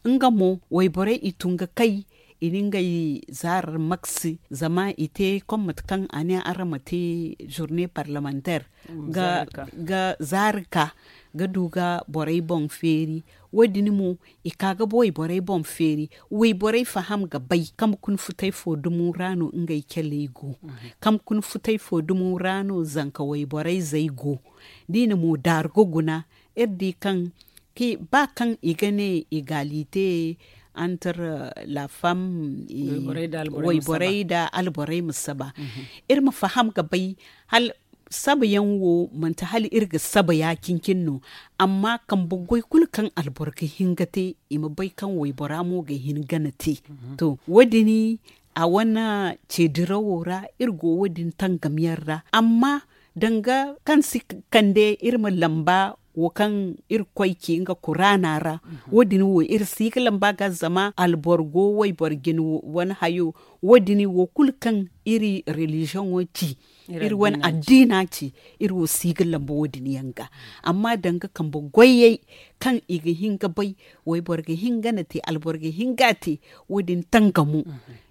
nga mo wayborey i tun ga kay, i na ngey zaarar maksi zama i te kom mate kaŋ a ne araŋ ma te journée parlementaire ga zaari ka ga du ga borey boŋ feeri. Wo- din mo i ka ga wayborey boŋ feeri. Wayborey faham ga bay kambe kuna futey fo dumo ra no ngey caley go. Kambe kuna futey fo dumo ra no zanka wayborey zey go. Da i na mo daaru ga guna, iri di kaŋ ba kaŋ i ga ne égalité entre la femme, wayborey nda alborey ma saba. Iri ma faham ga bay hala saba yaŋ wo manti hala iri ga saba ya-cine-cine no. Amma kambe goy kulu kaŋ alboro ga hin ga te, i ma bay kaŋ waybora mo ga hin gana te. To, wo- din a wane ceedirawo ra iri go wo- din tangam yaŋ ra. Amma danga kaŋ si kande iri ma lamba wo kaŋ iri koy ci nga kuraana ra, wo- din wo iri si ga lamba ga zama alboro go wayboro jine wane hayo. Wo- din wo kulu kaŋ iri religion wo ci, iri wane addiina ci, iri wo si ga lamba wo- din yaŋ ga. Amma danga kambe goyey kaŋ i ga hin ga bay, wayboro ga hin ga na te, alboro ga hin ga te, wo- din tangamo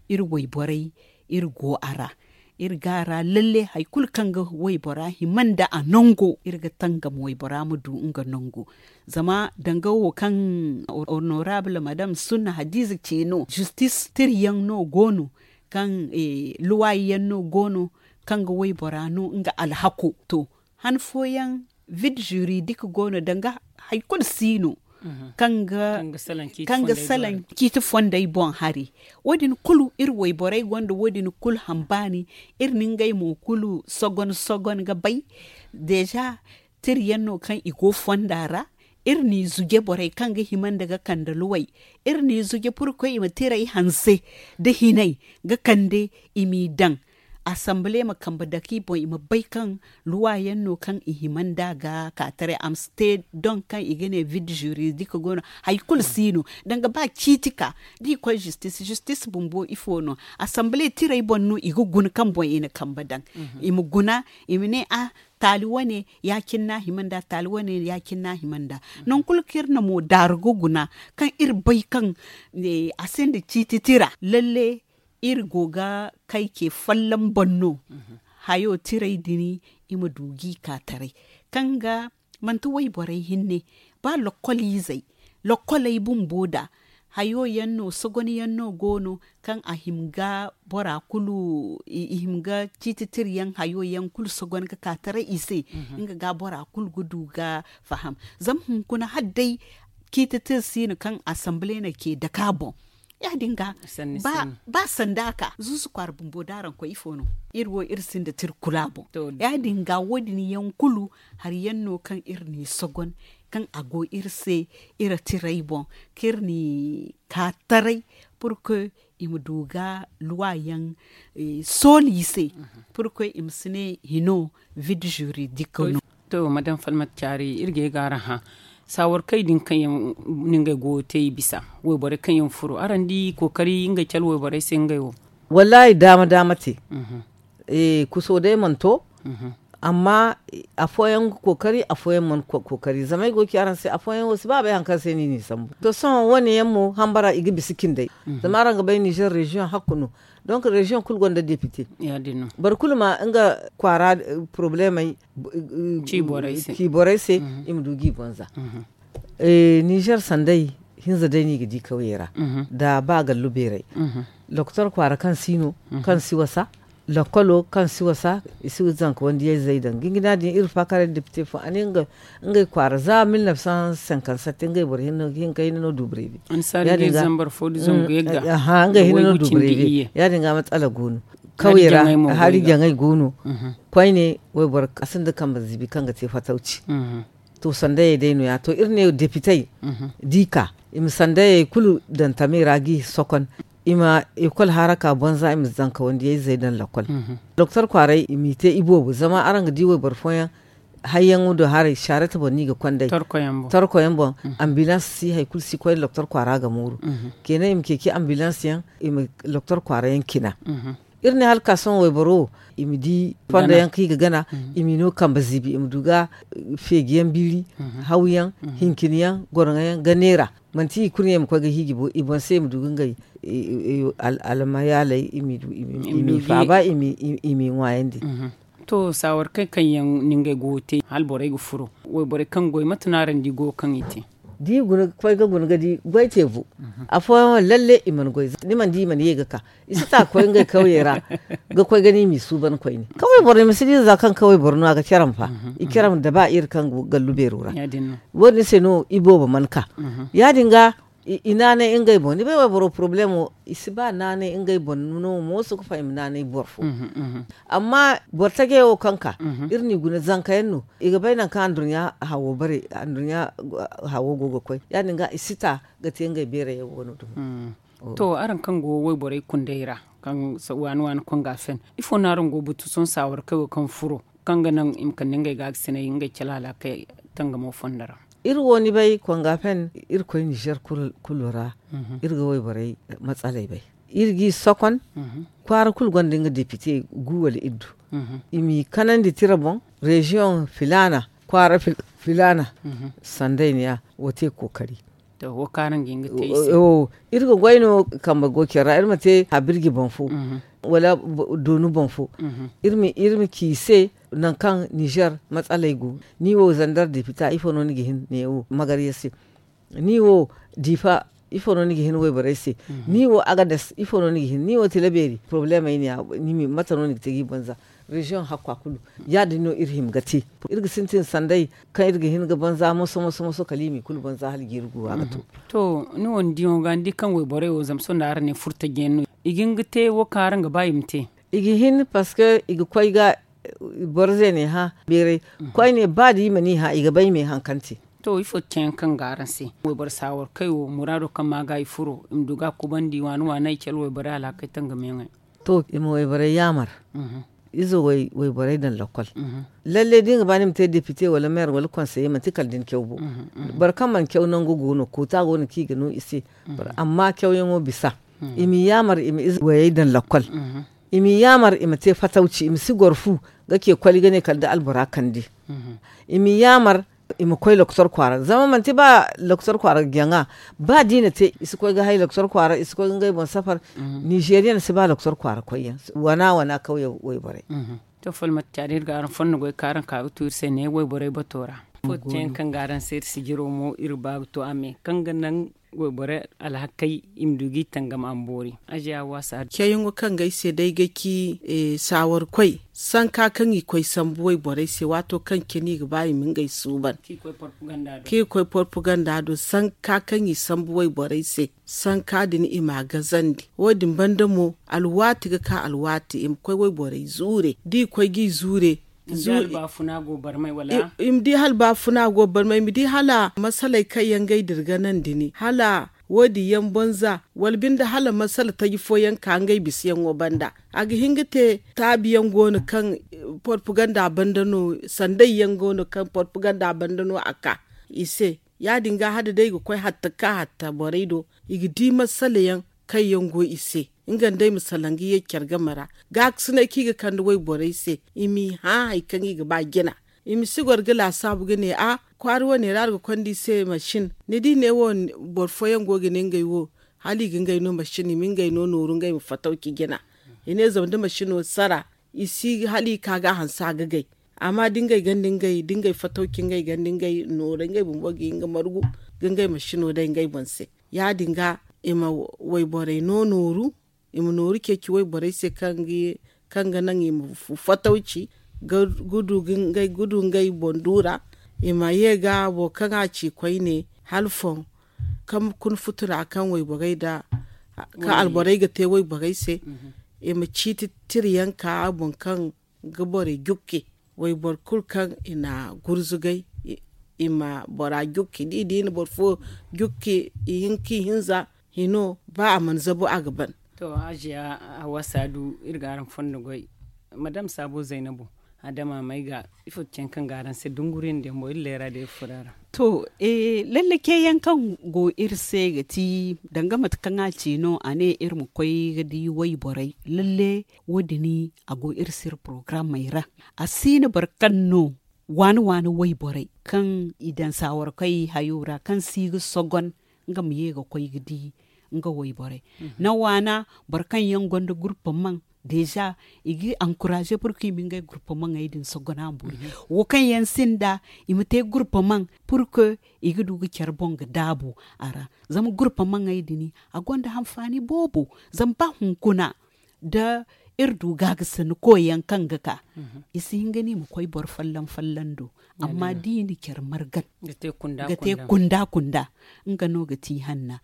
iri wayborey iri go a ra. Iri ga a ra lalle hari kulu kaŋ ga waybora hima nda a nango iri ga tangam waybora ma du nga nango. Zama danga wo kaŋ honorable madame sunna hadiza ce no justice tiri yaŋ no go no, kaŋ luwayi yaŋ no go no, kaŋ ga waybora no nga alhako. To, han fooyaŋ vide juridik go no danga hari kulu si no kaŋ ga salaŋ ciiti fondey boŋ hari. Wo- din kulu iri wayborey gonda wo- din kulu hambaani. Iri na ngey mo kulu sogon sogon ga bay. Deeza tiri yaŋ no kaŋ i go fonda ra. Iri n'i zuje borey kaŋ ga hima nda ga kande luwey. Iri n'i zuje purkoy i ma tirey hanse nda hinay ga kande i m'i daŋ. Asambile ma kambe dake i boŋ i ma bay kaŋ luwa yaŋ no kaŋ i hima nda ga ka taray a ma si te doŋ kaŋ i ga ne vide juridik go no. Hari kulu si no danga ba ciiti ka da i koy zistis zistis bumbo ifo no? Asambile tirey boŋ no i ga guna kaŋ boŋ i na kambe daŋ. I ma guna i ma ne a taali wane ya- cine no a hima nda taali wane ya- cine no a hima nda. Nangu kulu kaŋ iri na mo daaru ga guna kaŋ iri bay kaŋ a sinda ciiti tira lalle iri go ga kay ce folloŋ boŋ no. Hayo tirey din i ma du g'i ka taray kaŋ ga manti wayborey hinne ba lokkol izey lokkoley bumbo da hayo yaŋ no sogon yaŋ no go no kaŋ a hima ga bora kulu i hima ga ciiti tira yaŋ hayo yaŋ kulu sogon ga ka taray i se. Nga ga bora kulu ga du ga faham zama hunkuna hala day ciiti tira si no kaŋ asambile na ce dake a boŋ. Ya- din ga ba sanda ka zuzu kwaara bumbo da araŋ koy ifo no? Iri wo iri sinda tira kulu a boŋ. Ya- din ga wo- din yaŋ kulu hari yaŋ no kaŋ iri n'i sogon kaŋ a go iri se iri tirey boŋ kaŋ iri n'i ka taray purke i ma du ga luwa yaŋ sooli i se purke i ma si ne hino vide juridik no. To madame falmat caari iri ga ay ga araŋ hã saawar kay din kaŋ yaŋ ni ngey go ga te i bisa wayborey kaŋ yaŋ furo araŋ di kookari ngey cale wayborey se ngey wo? Wallaahi daama daama te. Kuso day mana to. Amma afooyaŋ ga kookari afooyaŋ mana kookari zama ay go ga ci araŋ se afooyaŋ wo si ba bay hari kaŋ se no i n'i sambu to sohõ wo- ne yaŋ mo hambara i ga bisa cindey. Zama araŋ ga bay nizer reziyoŋ hakku no. Donc reziyoŋ kulu gonda depite. Boro kulu ma nga kwaara porobulemey ci borey se i ma du g'i bonza. Nizer sanday hinza day no i ga di kawyey ra nda ba gallu beerey. Lokotor kwaara kaŋ si no kaŋ si wasa lokolo kaŋ si wasa i si zanka wandiyayzey daŋ gingina din iri faakaray depite fo a ne ngey kwaara za mil neuf cent cinquante sept ngey boro hinka hinne no du brevi. Ngey hinne no du brevi ya- din ga matsala go no. Kawyey ra hari jaŋay go no. Koyne wayboro a sinda kambe ziibi kaŋ ga te fatawci. To sandayey day no- ya to iri ne depitey da i ka i ma sandayey kulu daŋ tamey ra g'i sokon i ma ekol haraka banza i ma zankawandiyayzey daŋ lakol. Doktor kwaaray i m'i te iboobo zama araŋ ga di wayboro fooyaŋ Hayyaŋo do haray saarata boŋ no i ga konday. Torko yaŋ boŋ. Ambilans si hari kulu si koy doktor kwaara ga mooru. Keena i ma ceeci ambilans yaŋ, i ma doktor kwaara yaŋ cina. Iri ne hala ka sohõ wayboro wo, i ma di fondo yaŋ kaŋ i ga gana, i m'i no kambe ziibi, i ma du ga feeji yaŋ biiri, haw yaŋ, hincin yaŋ, goroŋo yaŋ ga neera. Manti i kulu ne i ma koy ga hiiji bo, i boŋ se i ma du ga ngey almayaaley i m'i faaba, i m'i ŋwaayandi. To saawar kaŋ kaŋ yaŋ no ngey go ga te hala borey ga furo, wayborey kaŋ goy mate no araŋ di go kaŋ i te? Da i guna ga koy ga guna ga di goy te bu. Afooyaŋ lalle i mana goy, ni mana di i mana ye ga ka. I si ta ga koy ngey kawyey ra ga koy ga ni m'i suuban koyne. Kaway boro ni ma si di za kaŋ kaway boro no a ga caram fa. I caram da ba iri kaŋ go gallu beero ra. Wo- din se no i boobo mana ka. Ya- din ga i naanay ngey boŋ ni bay wayboro porobalemo, i si ba naanay ngey boŋ no mooso ga fahim naanay boro fo. Amma boro tajey wo kaŋ ka, iri n'i guna zanka yaŋ no, i ga bay nangu kaŋ andurɲa hawo bare andurɲa hawo go ga koy. Ya- din ga i si ta ga te ngey beerey yaŋ wo- no dumo. To araŋ kaŋ go wayborey kundey ra, kaŋ waani waani konga fen, ifo no araŋ go ga batu sohõ saawar kay wo kaŋ furo, kaŋ ga naŋ i ma kande ngey ga ga sinay ngey calaala kay tangamo fondo ra? Iri wo ni bay konga fen, iri koy nizer kulu ra. Iri ga wayborey matsaley bay, iri g'i sokon. Kwaara kulu gonda nga depite gu wala iddu. I m'i kanandi tira boŋ, reziyoŋ filaana, kwaara filaana, sanday ne ya wo te kookari. Iri ga goy no kambe go care ra iri ma te habirji boŋ fo, wala doonu boŋ fo. Iri ma ci i se nangu kaŋ nizer matsaley go. Ni wo zandar depita ifo no ni ga hin ne wo magarya se? Ni wo diifa ifo no ni ga hin wayborey se? Ni wo agades ifo no ni ga hin ni wo tilabeeri porobalemey ne ya? Mate no ni ga te ga i banza? Reziyoŋ hakka kulu ya- din no iri hima ga te. Iri ga sintin sanday kaŋ iri ga hin ga banza moso moso moso kala i m'i kulu banza hala jiiri guwa ga to. To ni wo ni diyaŋo ga ni di kaŋ wayborey wo zama sohõ nda araŋ ne furtaji yaŋ no, i ga hin ga te wo kaŋ araŋ ga ba i ma te? I ga hin parceque i ga koy ga boro ze ne hã beeray. Koyne ba da i mana i hã i ga bay me haŋ kaŋ te. To ifo te yaŋ kaŋ ga araŋ se? Wayboro saawar kay wo muraado kaŋ ma ga i furo i ma du ga kubandi waani waani ay cala wayborey alhakey tangam yaŋey. To i ma wayborey yaamar. Izo wayborey daŋ lakkol. Lalle da ni ga ba ni ma te depite wala meer wala konseye manti kala da ni caw bo. Boro kaŋ mana caw nangu go no koota go no kaŋ i ga no i se. Amma cawyaŋo bisa. I m'i yaamar i ma ize wayey daŋ lakkol. I m'i yaamar i ma te fatawci i ma si goro fu ga ce koli ga ne kala da albora kande. I m'i yaamar i ma koy lokotor kwaara zama manti ba lokotor kwaara ga jaŋa. Ba da i na te i si koy ga hay lokotor kwaara i si koy ga ngey boŋ safar. Nizeriyan si ba lokotor kwaara koyyaŋ wana wana kawye wayborey. To falmata caadi iri ga araŋ fondo goy kaŋ araŋ ka ga tu iri se ne wayborey bato ra. Fo te yaŋ kaŋ ga araŋ se iri sijiro mo iri ba ga to a me kaŋ ga naŋ wayborey alhakey i ma du ga i tangam a ma boori. Aziya waasa. Ceeyaŋo kaŋ ga ay se day ga ci saawarkoy sanka kaŋ i koy sambu wayborey se waato kaŋ cine i ga ba i ma ngey suuban kaŋ i koy porpaganda do sanka kaŋ i sambu wayborey se. Sanka din i m'a gazandi wo- din banda mo alwaati ga ka alwaati i ma koy wayborey zuure da i koy ga i zuure. I ma di hala baafuna go barmay i ma di hala masaley kaŋ yaŋ ga ay dirganandi ni hala wo- din yaŋ banza wala binde hala masala taji fooyaŋ ka ngey bisayaŋo banda. A ga hin ga te taabiyaŋ go no kaŋ porpaganda banda no sanday yaŋ go no kaŋ porpaganda banda no a ka i se. Ya- din ga hala day ga koy hatta ga ka hatta borey do i ga di masala yaŋ kaŋ yaŋ go i se. Nga nda ay ma salaŋ ga ye care game ra gaakasinay kaŋ i ga kande wayborey se i m'i hã hari kaŋ i ga ba jina. I ma si goro ga laasaabu ga ne a kwaara wane ra araŋ ga konda i se masin ni di ne wo boro fooyaŋ go ga ne ngey wo hala i ga ngey no masin i ma ngey no nooru ngey ma fatawci jina. I ne zama da masino sara i si hala i ka ga a hanse a ga gay. Amma da ngey ganda ngey da ngey fatawci ngey ganda ngey nooru ngey bumbo ga hin ga margu ga ngey masino day ngey boŋ se. Ya- din ga i ma wayborey no nooru i ma nooru ceeci wayborey se kaŋ ga naŋ i ma fatawci ga du ngey boŋ du ra. I ma ye ga boro kaŋ a ci koyne hala foŋ kaŋ kuna futura kaŋ wayborey da kaŋ alborey ga te wayborey se. I ma ciiti tira yaŋ ka a boŋ kaŋ ga borey jukki wayboro kulu kaŋ i na gurzugay i ma bora jukki da i di i na boro fo jukki i hinza hino ba a mana zabu a ga ban. To hajiya hawa saadu iri ga araŋ fondo goy madam saabo zaynabu Adama may ga ifo ti caŋ kaŋ ga araŋ se dunguriyaŋ diyaŋ boŋ iri leera da iri furo a ra. To, lalle ceeyaŋ kaŋ go iri se ga ti danga mate kaŋ a ci no a ne iri ma koy ga di wayborey lalle. Wo- din a go iri se iri porogaramey ra. A si no boro kaŋ no waani waani wayborey kaŋ i daŋ saawarkey hayo ra kaŋ si ga sogon nga ma ye ga koy ga di nga wayborey. Naŋ waana boro kaŋ yaŋ gonda gurpa maŋ deeza i ga ankuraaze purka i ma ngey gurpa maŋey din sogon a boori. Wo kaŋ yaŋ sinda i ma te gurpa maŋ purka i ga du ga care boŋ ga daabu a ra. Zama gurpa maŋey din a gonda hanfaani boobo. Zama ba hunkuna da iri du gaagasinda koyyaŋ kaŋ ga ka i si hin ga ni ma koy boro folloŋ folloŋ do. Amma da i na care margan ga te kunda kunda nga no ga ti hanna.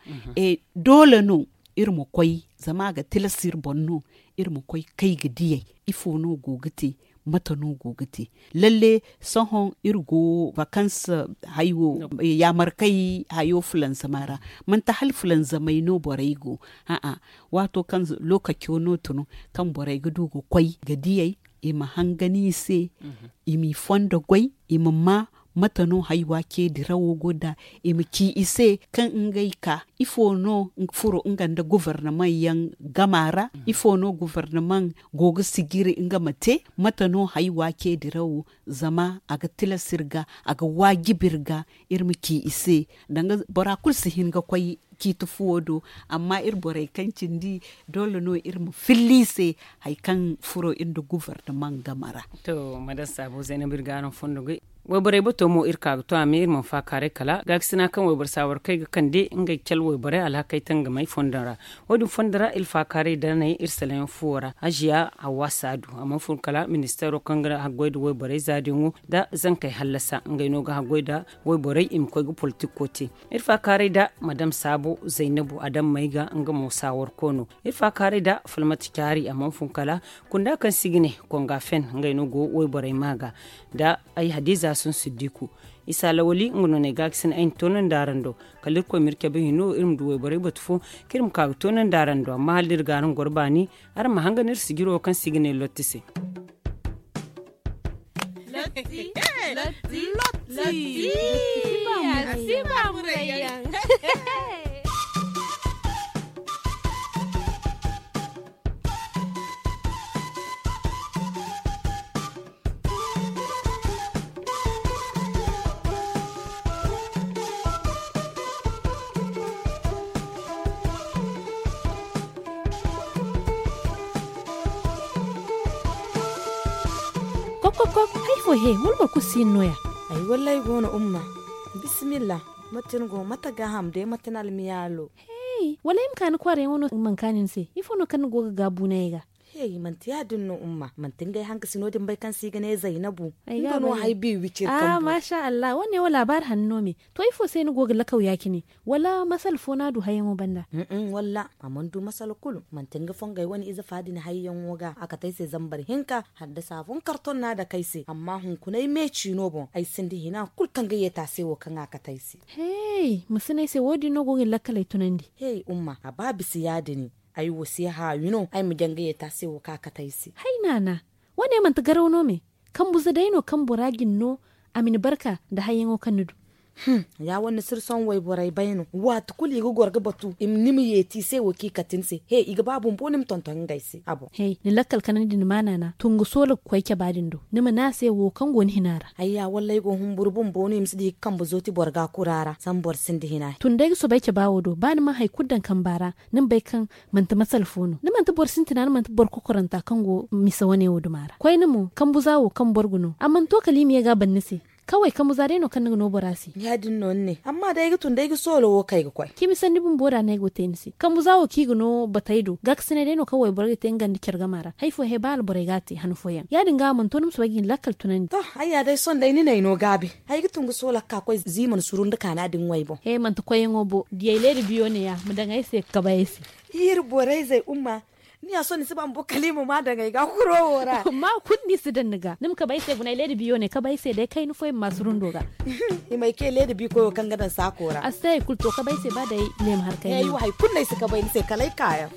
Doole no iri ma koy zama a ga tilas iri boŋ no iri ma koy kay ga diyey ifo no go ga te mate no go ga te. Lalle sohõ iri go vakans hayo yaamarkay hayo fulanzama ra. Manti hala fulanzamey no borey go. A'a, waato kaŋ lokaco no tun kaŋ borey ga du ga koy ga diyey i ma hangan i se i m'i fondo goy i ma ma mate no haywa ce dirawo go nd'a i ma ci i se kaŋ ngey ka ifo no furo nga nda gobornamaŋ yaŋ gama ra ifo no gobornamaŋ go ga sijiri nga ma te mate no haywa ce dirawo zama a ga tilas iri ga a ga waajibi iri ga iri ma ci i se danga bora kulu si hin ga koy ciiti fuwo do. Amma iri borey kaŋ cindi doole no iri ma filla i se hari kaŋ furo iri nda gobornamaŋ game ra. To madam saabo zaynab iri ga araŋ fondo goy wayborey bato mo iri ka ga to a me iri mana faakaaray kala gaakasina kaŋ wayboro saawarkey ga kande ngey cale wayborey alhakey tangamey fondo ra. Wo- din fondo ra iri faakaaray danay iri salaŋ yaŋ fuwo ra haziya hawwa saadu a mana fun kala ministeero kaŋ ga haggoy nda wayborey zaadiyaŋo nda zankey hallasa ngey no ga haggoy nda wayborey i ma koy ga politiko te. Iri faakaaray nda madam saabo zaynabu adammey ga nga mo saawarko no. Iri faakaaray nda falmata caari a mana fun kala kunda kaŋ si ga ne konga fen ngey no go wayborey ma ga nda ay hadiza sun siddiku isa lawali nga no no ay ga ga sine ay na toonandi araŋ do. Kala irkoy ma iri cabe hino iri ma du wayborey batu fo kaŋ iri ma ka ga toonandi araŋ do amma hala da iri ga araŋ goro baani araŋ ma hangan iri sijiro kaŋ si ga ne lotti se. Lotti. Lotti. Lotti. Lotti. Lotti. Lotti. Lotti. Lotti. Lotti. Lotti. Lotti. Kokokok, hari fo he wala boro kulu si hin no- ya? Ay wallaahi go no umma. Bisimilla. Mate ni go mate gaaham day mate ni almiyaalo? Hey, wala ay ma ka ni kwaarayaŋo no man kaani ni se ifo no kaŋ ni go ga gaabu ne ay ga? Hey, manti ya- din no umma manti ngey hankasino din bay kaŋ se i ga ne zaynabu. Nga no hay bi wiciri kambu. Masha allah wo- ne wo laabaari hanno me. To ifo se ni go ga lakaw ya- cine? Wala masala fo no a du hayyaŋo banda? Walla a mana du masala kulu manti nga fongey wane ize fa din hayyaŋo ga a kate ay se zambar hinka haddasa fo nga karton no a dake ay se amma hunkuna ay me ciino boŋ ay sinda hina kulu kaŋ ga yeeti a se wo kaŋ a kate ay se. Hey, ma si ne ay se wo- din no go ga ni lakkaley tunandi? Hey umma a ba bisa ya- din. Ay wo si haawi no ay ma jaŋ ga yeeti a se wo kaŋ a kate ay se. Hay naana, wo- ne manti garaw no me? Kambuza day no kaŋ bora jin no a ma ni barka nda hayyaŋo kaŋ ni du. Ya wane sirson wayborey bay no waati kulu i ga goro ga batu ni ma yeeti i se wo kaŋ i kate ni se he i ga ba bumbo ni ma tonton ngey se a boŋ. Ni lakkal kanandi ni ma naana tungu soola ga koy caba din do ni ma ne a se wo kaŋ go ni hina ra. Ay ya wallay go humburu bumbo no i ma si di ga kambe zooti boro ga kura ra zama boro sinda hina. Tun day ga soobay caba wo do ba ni mana hari kulu daŋ kamba ra ni ma bay kaŋ manti masala fo no ni manti boro sintina ni manti boro kokoranta kaŋ go misa wane wo duma ra koyne mo kambu za wo kaŋ boro ga no a mana to kala i ma ye ga a ban ni se. Kaway kambu za day no kaŋ ni ga no bora se. Ya- din no ni ne amma day ay ga tun day ga soolo wo kay ga koy. Cimi sanni bumbo da no ay go te ni se kambu za wo kaŋ i ga no batey do gaakasinay day no kaŋ wayboro ga te nga nda care gama ra hari fo he ba alborey ga a te han fooyaŋ ya- din ga a mana to ni ma soobay ga hin lakkal tunandi. To, ay ya day sohõ day ni n'ay no gaabi. Ay ga tun ga soolak ka koy ziima ni suru nda kaana din ŋway boŋ. He manti koyyaŋo bo diyey leeda biyo ne- ya ma daŋ ay se ga kabe ay se. Iri borey zey umma. Ni ya sohõ ni si ba ma bo kala i ma ma daŋ ay ga kuro wo ra. Ma kulu ni si daŋ ni ga ni ma kabe ay se guna ay leeda biyo ne kabe ay se day kayna fooyaŋ ma ma surundo ga. I ma ay ke leeda bi koyo kaŋ ga daŋ saako ra. A si te hari kulu to kabe ay se ba day leema harkay. Ay wo hari kulu no ay si kabe ay ni se kala ay kaayaŋ.